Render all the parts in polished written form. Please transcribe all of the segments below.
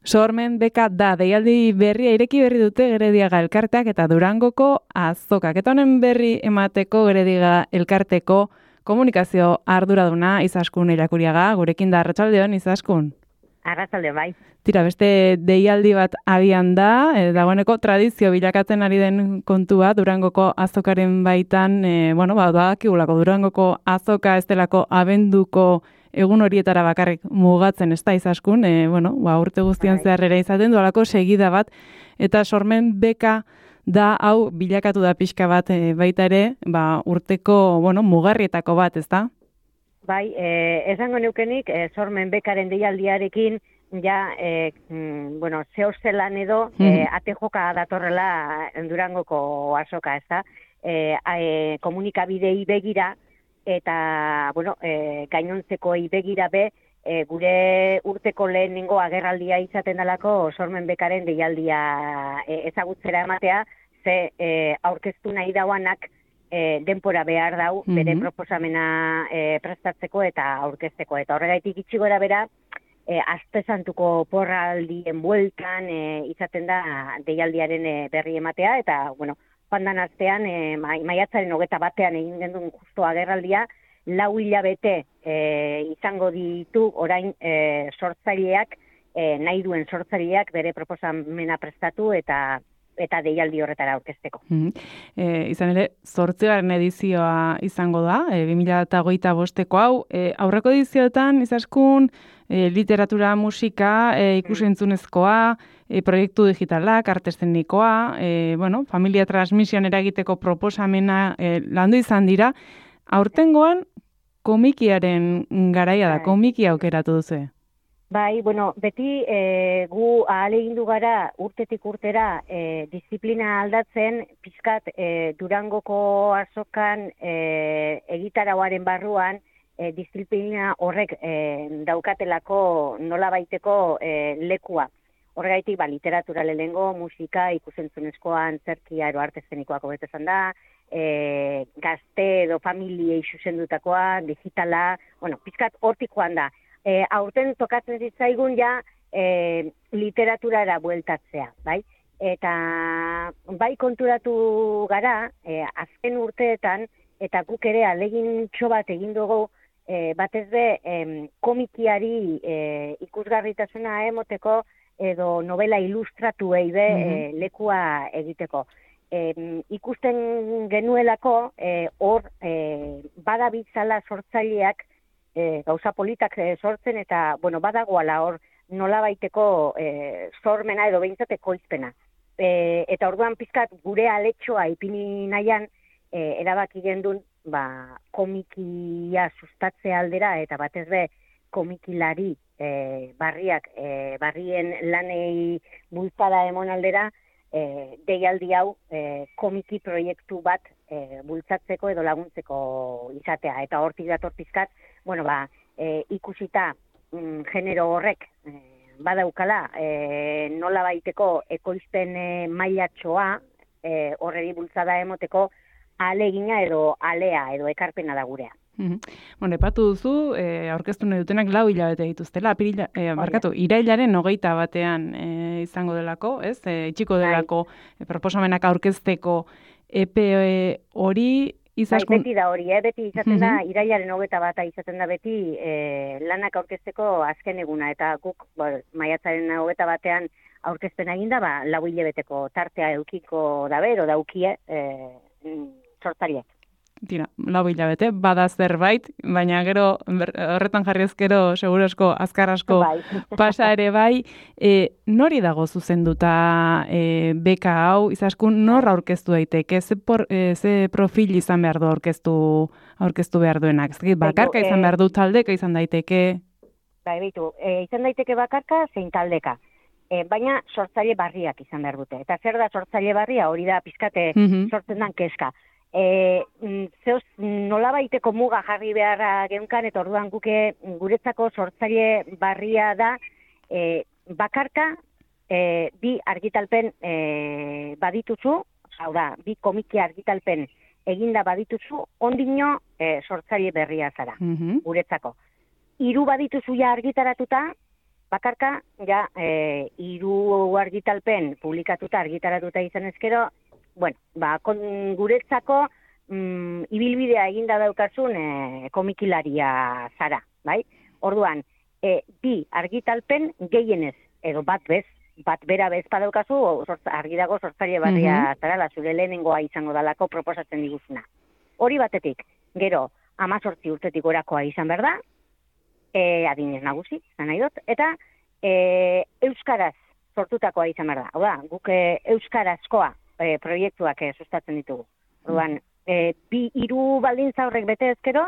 Sormen beka da, deialdi berria ireki berri dute Gerediaga elkarteak eta Durangoko azokak. Eta honen berri emateko Gerediaga elkarteko komunikazio arduraduna Izaskun Irakuriaga, gurekin da. Arratsaldeon, Izaskun. Arratsaldeon, bai. Tira, beste deialdi bat abian da, dagoeneko tradizio bilakatzen ari den kontua Durangoko azokaren baitan, badakigulako Durangoko azoka ez delako abenduko egun horietara bakarrik mugatzen, ez da, Izaskun, urte guztian zehar ere izaten du halako segida bat, eta sormen beka da, hau bilakatu da pixka bat baita ere, urteko, mugarrietako bat, ez da? Bai, esango neukenik, sormen bekaren deialdiarekin, ja, zehozelan edo, ate joka datorrela Durangoko azoka, ez da? Komunikabidei begira, eta, gainontzekoei begira be, gure urteko lehenengo agerraldia izaten dalako sormen bekaren deialdia ezagutzera ematea, ze aurkeztu nahi dauanak denpora behar dau, bere proposamena prestatzeko eta aurkezteko. Eta horregaitik itxi gora bera, Astesantuko porraldien bueltan izaten da deialdiaren berri ematea, eta, joan astean, maiatzaren 21 egin gendun justo agerraldia, 4 hilabete izango ditu orain sortzaileak, nahi duen sortzaileak bere proposamena prestatu eta deialdi horretara aurkezteko. Izan ere, 8. edizioa izango da, 2025ko hau. Aurreko edizioetan, Izaskun, literatura, musika, ikusentzunezkoa, proiektu digitalak, arte eszenikoa, familia transmisioan eragiteko proposamena landu izan dira. Aurtengoan, komikiaren garaia da, komiki aukeratu duzu. Bai, beti gu ahalegindu gara urtetik urtera disiplina aldatzen, pizkat Durangoko azokan egitarauaren barruan disiplina horrek daukatelako nolabaiteko lekua. Horregaitik, literatura lehengo, musika, ikusentzunezkoa, antzerkia, arte eszenikoak hobeto esan da, gazte edo familiei zuzendutakoa, digitala, pizkat hortik joan da. Aurten tokatzen zitzaigun ja literaturara bueltatzea, bai? Eta bai konturatu gara, azken urteetan, eta guk ere alegin bat egin dugu, batez be komikiari ikusgarritasuna emoteko, edo novela ilustratuei be lekua egiteko. Ikusten genuelako, hor badabitzala sortzaileak, gauza politak sortzen eta, badagoala hor nolabaiteko sormena edo behintzateko izpena. Eta orduan pizkat gure aletxoa ipini nahian, erabaki gendun, komikia sustatze aldera eta batez be komikilari barrien lanei bultzada emon aldera, deialdi hau komiki proiektu bat bultzatzeko edo laguntzeko izatea. Eta hortik dator pizkat, ikusita genero horrek badaukala nola baiteko ekoizpen mailatxoa horreri bultzada emoteko alegina edo alea edo ekarpena da gurea. Epatu duzu, aurkeztu nahi dutenak 4 hilabete dituztela, irailaren 21 izango delako, ez? Itxiko delako proposamenak aurkezteko epe hori, Izaskun... Beti da hori, beti izaten da, irailaren 21 izaten da beti lanak aurkezteko azken eguna, eta guk maiatzaren 21 aurkezpen eginda, 4 hilabeteko tartea eukiko da bero, daukie sortzaileak. Tira, 4 hilabete, bada zerbait, baina gero horretan jarri ezkero seguro asko, azkar asko pasa ere bai. Nori dago zuzenduta beka hau, Izaskun, nor aurkeztu daiteke? Ze profil izan behar du aurkeztu behar duenak? Bakarka izan behar du, taldeka izan daiteke? Izan daiteke bakarka, zein taldeka. Baina sortzaile barriak izan behar dute. Eta zer da sortzaile barria? Hori da pizkate sortzen dan keska. Nolabaiteko muga jarri beharra geunkan, eta orduan guretzako sortzaile barria da bakarka bi argitalpen badituzu, hau da, bi komiki argitalpen eginda badituzu, ondino sortzaile berria zara, guretzako. 3 badituzu ja argitaratuta, bakarka, ja, 3 argitalpen publikatuta, argitaratuta izan ezkero, bueno, guretzako ibilbidea eginda daukazun komikilaria zara, bai? Orduan, 2 argitalpen gehienez, edo bat bera bez padaukazu, argi dago sortzaile barria zara, zure lehenengoa izango dalako proposatzen diguzuna. Hori batetik, gero, 18 urtetik orakoa izan behar da, adinez nagusi, zan nahi dut, eta euskaraz sortutakoa izan behar da. Hau da, guk euskarazkoa proiektuak sustatzen ditugu. Orduan, 2 baldintza horrek bete ezkero,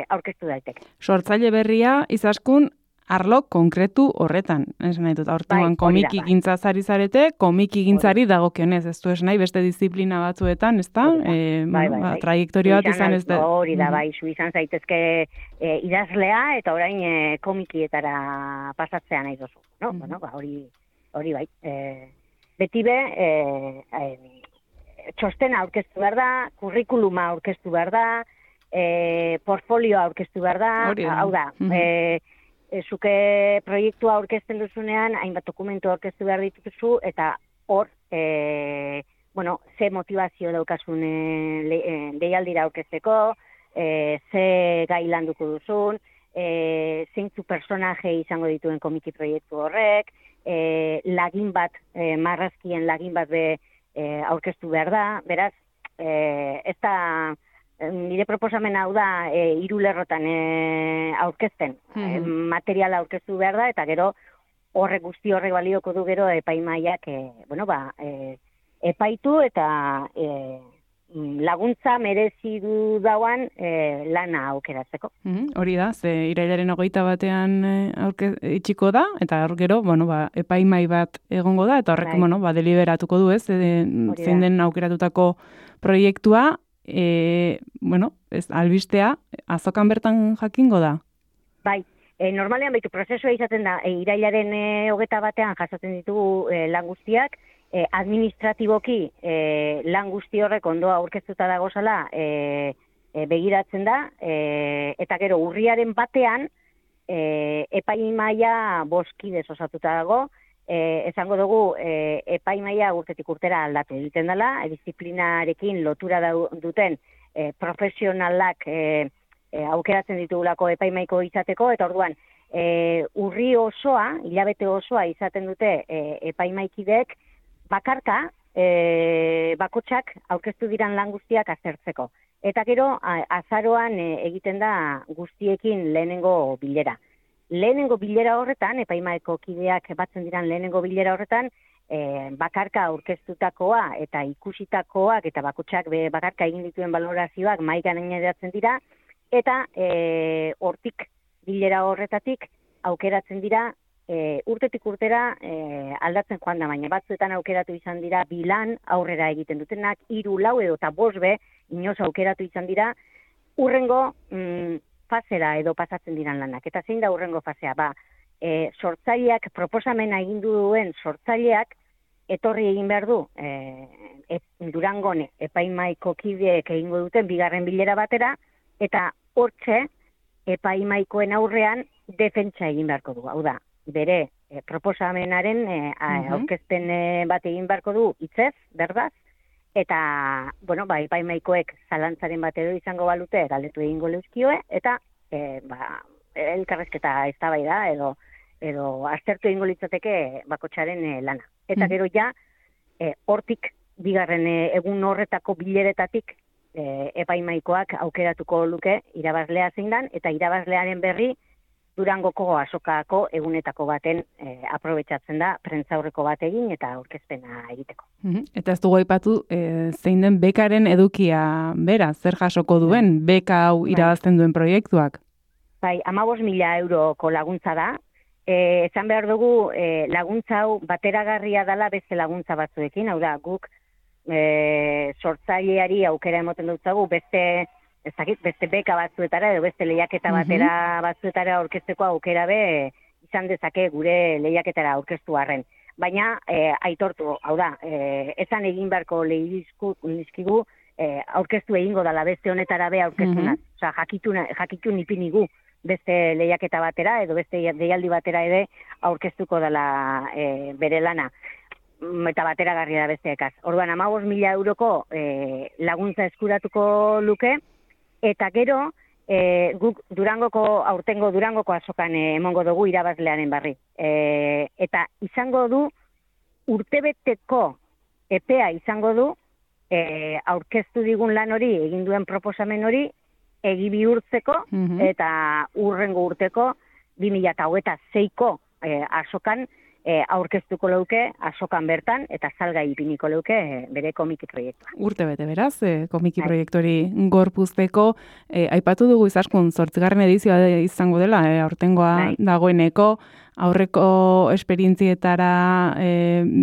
aurkeztu daiteke. Sortzaile berria izaskun arlo konkretu horretan. Ez nahi dut, hortuan komiki gintza zari zarete, komiki gintzari dagokionez, ez du ez nahi beste disiplina batzuetan, ez da? Trajektoria bat izan ez da. Hori da, bai, zu izan zaitezke idazlea eta orain komikietara pasatzea nahi dozu. No? Bueno, hori bai. Beti be, txostena aurkeztu behar da, kurrikuluma aurkeztu behar da, portfolioa aurkeztu behar da, hau da, zuke proiektua aurkezten duzunean, hainbat dokumentu aurkeztu behar dituzu, eta hor, ze motivazio daukasun deialdira aurkezteko, ze gai landuko duzun, zeintzu personaje izango dituen komiki proiektu horrek, lagin bat, marrazkien lagin bat aurkeztu behar da, beraz, ez da, nire proposamena hau da 3 lerrotan aurkezten. Materiala aurkeztu behar da, eta gero guzti horrek balioko du gero epaimaiak epaitu eta laguntza merezi du dauan lana aukeratzeko. Hori da, ze irailaren 21 itxiko da, eta gero, epaimai bat egongo da, eta horrek, deliberatuko du, ez, zein den aukeratutako proiektua, albistea, azokan bertan jakingo da? Bai, normalean prozesua izaten da, irailaren 21 jasotzen ditugu lan guztiak, administratiboki lan guzti horrek ondoa aurkeztuta dagozala begiratzen da, eta gero urriaren batean epaimaia 5 kidez osatuta dago, esango dugu epaimaia urtetik urtera aldatu egiten dela, disiplinarekin lotura duten profesionalak aukeratzen ditugulako epaimaiko izateko, eta orduan urri osoa, hilabete osoa izaten dute epaimaikideek bakarka bakotxak aurkeztu diran lan guztiak aztertzeko. Eta gero azaroan egiten da guztiekin lehenengo bilera. Lehenengo bilera horretan, epaimaeko kideak batzen diran lehenengo bilera horretan, bakarka aurkeztutakoa eta ikusitakoak eta bakotxak bakarka egin dituen balorazioak mahai gaineratzen dira, eta hortik bilera horretatik aukeratzen dira urtetik urtera aldatzen joan da, baina batzuetan aukeratu izan dira 2 lan aurrera egiten dutenak, 3, 4 edo eta 5 inoz aukeratu izan dira urrengo fasera edo pasatzen diran lanak. Eta zein da urrengo fasea? Sortzaileak, proposamena egin duen sortzaileak etorri egin behar du Durangon epaimaiko kideek egingo duten 2. bilera batera, eta hortxe epaimaikoen aurrean defentsa egin beharko du. Hau da, bere proposamenaren aurkezpen bat egin beharko du hitzez, berdaz, eta, epaimaikoek zalantzaren bat edo izango balute, galdetu egingo leuzkioe, eta elkarrezketa eztabaida edo aztertu egingo litzateke bakotxaren lana. Eta gero ja, hortik, 2. egun horretako bileretatik epaimaikoak aukeratuko luke irabazlea zein dan, eta irabazlearen berri Durangoko azokako egunetako baten aprobetxatzen da, prentzaurreko bat egin eta aurkezpena egiteko. Eta ez dugu aipatu zein den bekaren edukia bera, zer jasoko duen, beka hau irabazten duen proiektuak? Bai, 15.000 euroko laguntza da. Esan behar dugu laguntza hau bateragarria dela beste laguntza batzuekin, hau da, guk sortzaileari aukera emoten dutzagu beste beka batzuetara edo beste lehiaketa batera batzuetara aurkezteko aukera izan dezake gure lehiaketara aurkeztu arren. Baina aitortu, hau da, esan egin beharko lehizkigu aurkeztu egingo dela beste honetara aurkeztunaz. Osa, jakitun ipinigu beste lehiaketa batera edo beste deialdi batera ere aurkeztuko dela bere lana. Eta bateragarria da besteekaz. Orduan 15.000 euroko laguntza eskuratuko luke, eta gero guk aurtengo Durangoko azokan emongo dugu irabazlearen barri. Eta izango du, urtebeteko epea izango du, aurkeztu digun lan hori, egin duen proposamen hori, egi bihurtzeko, eta urrengo urteko 2026ko azokan aurkeztuko leuke, azokan bertan, eta salgai ipiniko leuke bere komiki proiektua. Urte bete beraz, komiki proiektori gorpuzteko, aipatu dugu izaskun 8. edizioa izango dela, aurtengoa dagoeneko, aurreko esperientzietara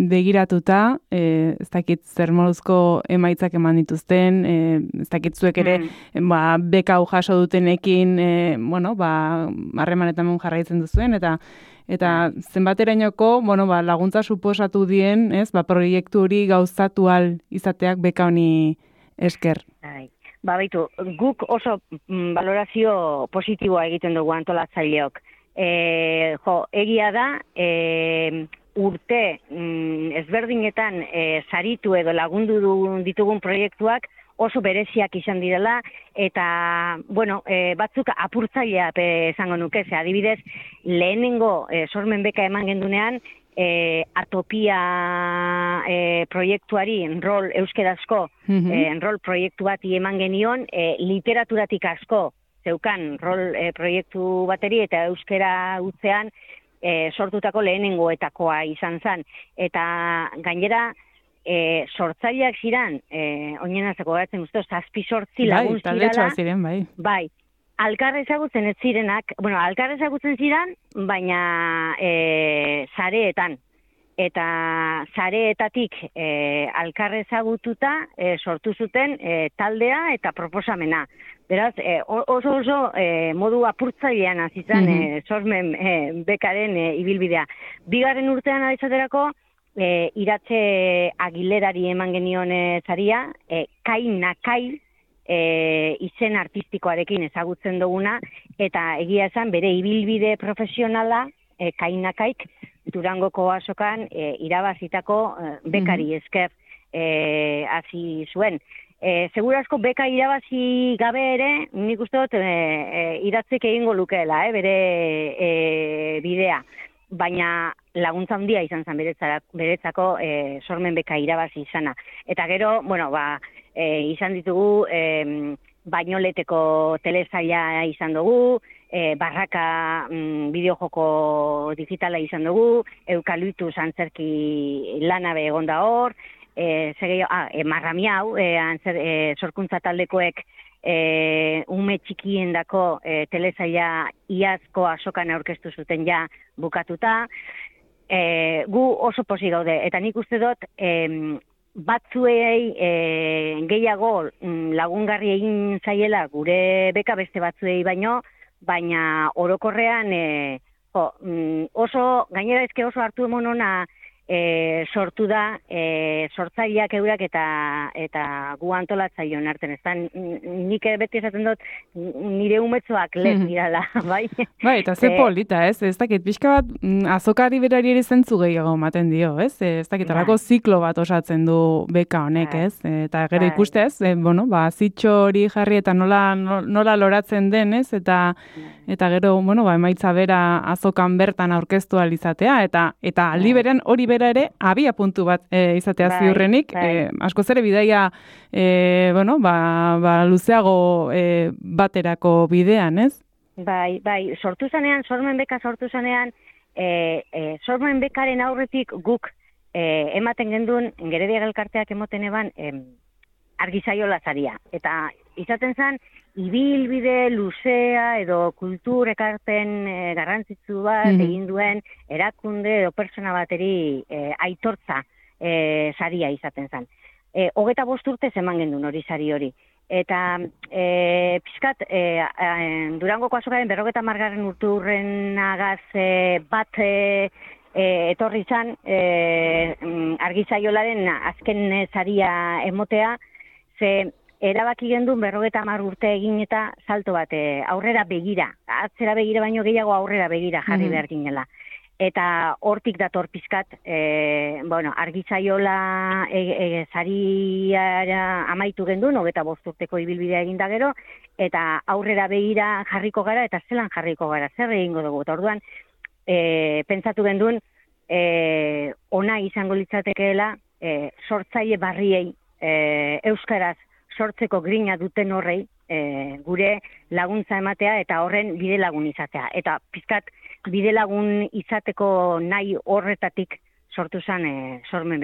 begiratuta, ez dakit zer moduzko emaitzak eman dituzten, ez dakit zuek ere beka hau jaso dutenekin, harremanetan jarraitzen duzuen, eta zenbaterainoko, laguntza suposatu dien, proiektu hori gauzatu ahal izateak beka honi esker. Baitu, guk oso valorazio positiboa egiten dugu antolatzaileok. Egia da, urte ezberdinetan saritu edo lagundu ditugun proiektuak oso bereziak izan direla, eta, batzuk apurtzailea esango nuke, adibidez, lehenengo sormen beka eman gendunean, Atopia proiektuari enrol euskerazko enrol proiektu bati eman genion, literaturatik asko zeukan rol proiektu bateri eta euskera utzean sortutako lehenengoetakoa izan zen. Eta gainera, sortzaileak ziren, oinenazako garatzen uste, 7-8 lagun ziren. Bai, alkar ezagutzen ez zirenak, alkar ezagutzen ziren, baina sareetan. Eta sareetatik alkar ezagututa sortu zuten taldea eta proposamena. Beraz, oso modu apurtzailean azizan sormen bekaren ibilbidea. Bigarren urtean alizaterako, Iratxe Aguilerari eman genion zaria, Kai Nakai izen artistikoarekin ezagutzen duguna, eta egia esan bere ibilbide profesionala, Kai Nakaik, Durangoko azokan irabazitako bekari esker hasi zuen. Segurazko beka irabazi gabe ere, nik uste dut Iratzek egingo lukeela, bere bidea. Baina laguntza handia izan zen beretzako sormen beka irabazi izana. Eta gero, izan ditugu Bainoleteko telesaila izan dugu, Barraka bideojoko digitala izan dugu, Eukaliptus antzerki lanabe egonda hor, Marramiau, sorkuntza taldekoek ume txikiendako telesaila iazko azokan aurkeztu zuten ja bukatuta. Gu oso posi gaude, eta nik uste dut batzuei gehiago lagungarri egin zaiela gure beka beste batzuei baina orokorrean oso, gainera oso hartu emonona sortu da sortzaileak eurak eta gu antolatzaileon artean. Nik beti esaten dut nire umetzoak lez dirala, bai? Bai, eta ze polita, ez? Ez dakit, pixka bat azokari berari ere zentzu gehiago ematen dio, ez? Ez dakit, alako ziklo bat osatzen du beka honek, ez? Eta gero ikuste, ez? Zitxo hori jarri eta nola loratzen den, ez? Eta gero, emaitza bera azokan bertan aurkeztu alizatea, eta aldi beren hori bera ere abia puntu bat izatea ziurrenik, askoz ere bidaia luzeago baterako bidean, ez? Bai, sormen beka sortu zanean, sormen bekaren aurretik guk ematen gendun, Geredia elkarteak emoten eban, argizaiola zaria. Eta izaten zen, ibilbide luzea edo kultur ekarpen garrantzitsu bat egin duen erakunde edo persona bateri aitortza saria izaten zen. 25 urte eman gendun hori sari hori. Eta pizkat Durangoko azokaren 50. urteurrenagaz bat etorri zan argizaiolaren azken saria emotea, ze erabaki gendun 50 urte egin eta salto bat aurrera begira, atzera begira baino gehiago aurrera begira jarri behar ginela. Eta hortik dator pizkat, argitzaiola sariara amaitu gendun, 25 urteko ibilbidea eginda gero, eta aurrera begira jarriko gara, eta zelan jarriko gara, zer egingo dugu. Eta orduan, pentsatu gendun, ona izango litzatekeela, sortzaile barriei, euskaraz sortzeko grina duten horrei, gure laguntza ematea eta horren bide lagun izatea. Eta pizkat bide lagun izateko nahi horretatik sortu zen sormen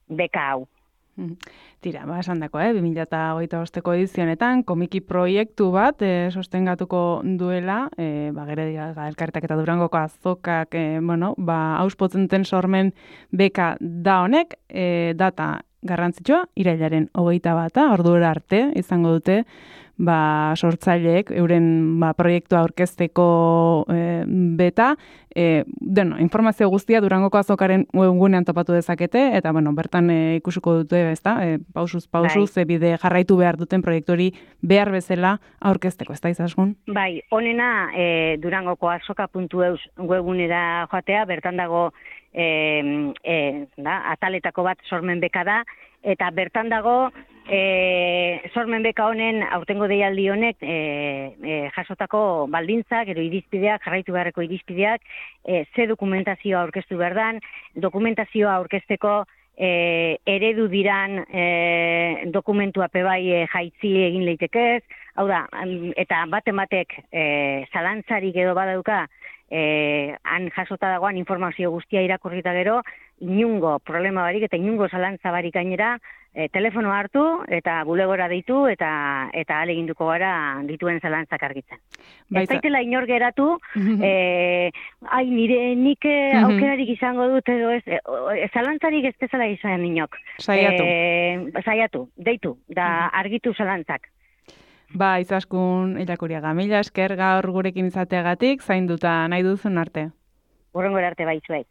beka hau. Tira, esan dako, 2025ko edizionetan, komiki proiektu bat sostengatuko duela, Gerediaga Elkarteak eta Durangoko azokak, auspotzen duten sormen beka da honek, data garrantzitsua, irailaren 21, ordura arte izango dute, sortzaileek euren proiektua aurkezteko beta, informazio guztia Durangoko azokaren webgunean topatu dezakete, eta bertan ikusiko dute, pausuz, bide jarraitu behar duten proiektori behar bezala aurkezteko, ez da izaskun? Bai, honena Durangoko azoka.eus webgunera joatea, bertan dago ataletako bat sormen beka da, eta bertan dago sormen beka honen aurtengo deialdi honek jasotako baldintzak, gero irizpideak, jarraitu beharreko irizpideak, ze dokumentazioa aurkeztu behar dan, dokumentazioa aurkezteko eredu diran dokumentua pebai jaitzi egin leitekez, hau da, eta batek zalantzarik edo badauka, han jasota dagoan informazio guztia irakurrita gero, inungo problema barik eta inungo zalantza barik gainera, telefono hartu eta bulegora deitu eta ahaleginduko gara dituen zalantzak argitzen. Ez daitela inor geratu, nik aukerarik izango dut edo ez, zalantzarik ez bezala izan inok. Saiatu, deitu, da argitu zalantzak. Izaskun Illakuriaga, mila esker gaur gurekin izateagatik, zainduta nahi duzun arte. Hurrengora arte bai zuei.